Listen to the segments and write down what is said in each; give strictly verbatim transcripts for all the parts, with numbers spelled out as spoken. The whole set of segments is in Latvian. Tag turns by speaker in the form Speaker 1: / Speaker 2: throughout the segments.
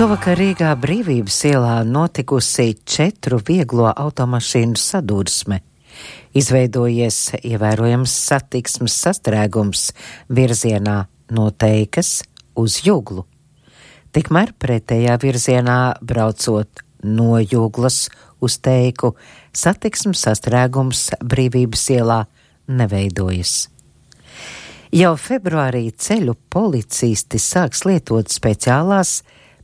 Speaker 1: Šovakar Rīgā Brīvības ielā notikusi četru vieglo automašīnu sadursme. Izveidojies ievērojams satiksmes sastrēgums virzienā no Teikas uz Juglu. Tikmēr pretējā virzienā braucot no Juglas uz Teiku, satiksmes sastrēgums Brīvības ielā neveidojas. Jau februārī ceļu policisti sāks lietot speciālās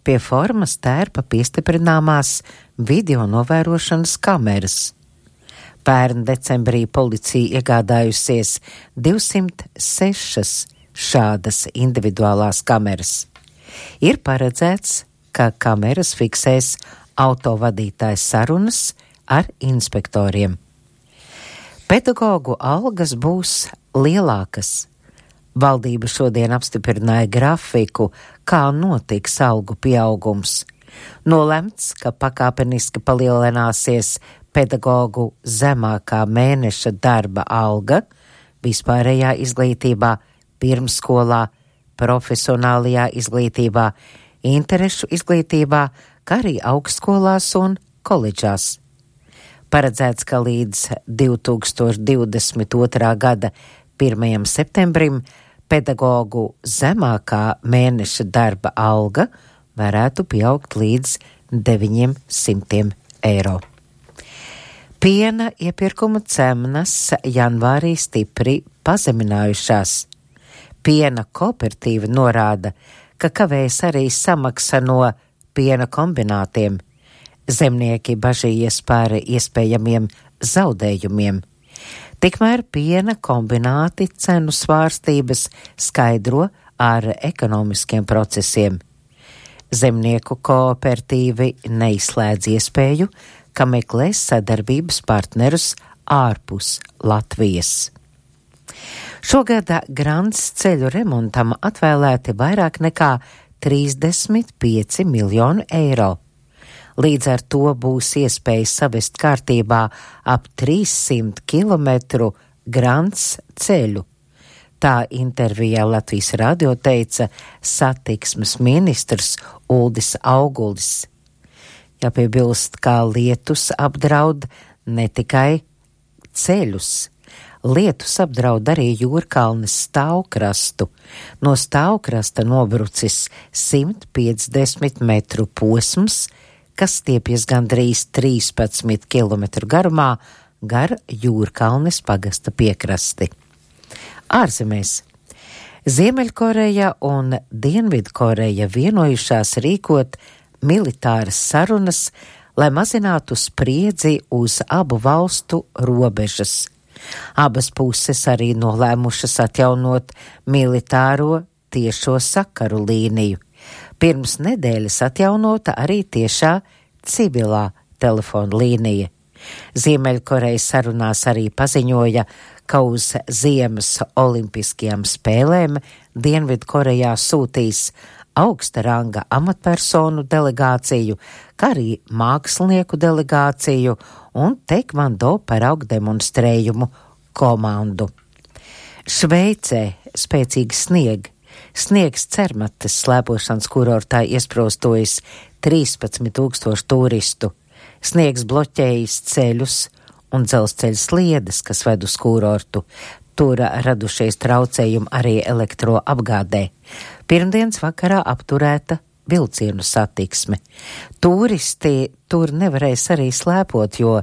Speaker 1: pie formas tērpa piestiprināmās video novērošanas kameras. Pērn decembrī policija iegādājusies divsimt sešas šādas individuālās kameras. Ir paredzēts, ka kameras fiksēs autovadītāju sarunas ar inspektoriem. Pedagogu algas būs lielākas. Valdība šodien apstiprināja grafiku, kā notiks algu pieaugums. Nolemts, ka pakāpeniski palielināsies pedagogu zemākā mēneša darba alga vispārējā izglītībā, pirmsskolā, profesionālajā izglītībā, interešu izglītībā, kā arī augstskolās un koledžās. Paredzēts, ka līdz divi tūkstoši divdesmit otrā gada pirmajam septembrim pedagogu zemākā mēneša darba alga varētu pieaugt līdz deviņiem simtiem eiro. Piena iepirkuma cenas janvārī stipri pazeminājušās. Piena kooperatīva norāda, ka kavējas arī samaksa no piena kombinātiem. Zemnieki bažījies par iespējamiem zaudējumiem. Tikmēr piena kombināti cenu svārstības skaidro ar ekonomiskiem procesiem. Zemnieku kooperatīvi neizslēdz iespēju, ka meklēs sadarbības partnerus ārpus Latvijas. Šogad Grants ceļu remontam atvēlēti vairāk nekā trīsdesmit pieci miljoni eiro. Līdz ar to būs iespēja savest kārtībā ap trīssimt kilometru Grants ceļu. Tā intervijā Latvijas radio teica satiksmes ministrs Uldis Augulis. Jāpiebilst, kā lietus apdraud ne tikai ceļus. Lietus apdraud arī Jūrkalnes stāvkrastu. No stāvkrasta nobrucis simt piecdesmit metru posms, kas stiepjas gandrīz trīspadsmit kilometru garumā gar Jūrkalnes pagasta piekrasti. Ārzemēs. Ziemeļkoreja un Dienvidkoreja vienojušās rīkot militāras sarunas, lai mazinātu spriedzi uz abu valstu robežas. Abas puses arī nolēmušas atjaunot militāro tiešo sakaru līniju. Pirms nedēļas atjaunota arī tiešā civilā telefona līnija. Ziemeļkoreja sarunās arī paziņoja, ka uz ziemas olimpiskajām spēlēm Dienvidkorejā sūtīs augsta ranga amatpersonu delegāciju, kā arī mākslinieku delegāciju un tekvando paraugu demonstrējumu komandu. Šveicē spēcīgi snieg. Sniegs Cermates slēpošanas kurortā iesprostojas trīspadsmit tūkstoši turistu. Sniegs bloķējis ceļus un dzelzceļa sliedes, kas ved uz kurortu. Tur radušies traucējumi arī elektroapgādē. Pirmdienas vakarā apturēta vilcienu satiksme. Turisti tur nevarēs arī slēpot, jo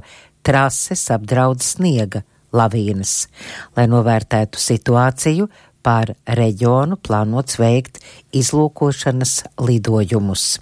Speaker 1: trases apdraud sniega lavīnas. Lai novērtētu situāciju, pār reģionu plānots veikt izlūkošanas lidojumus.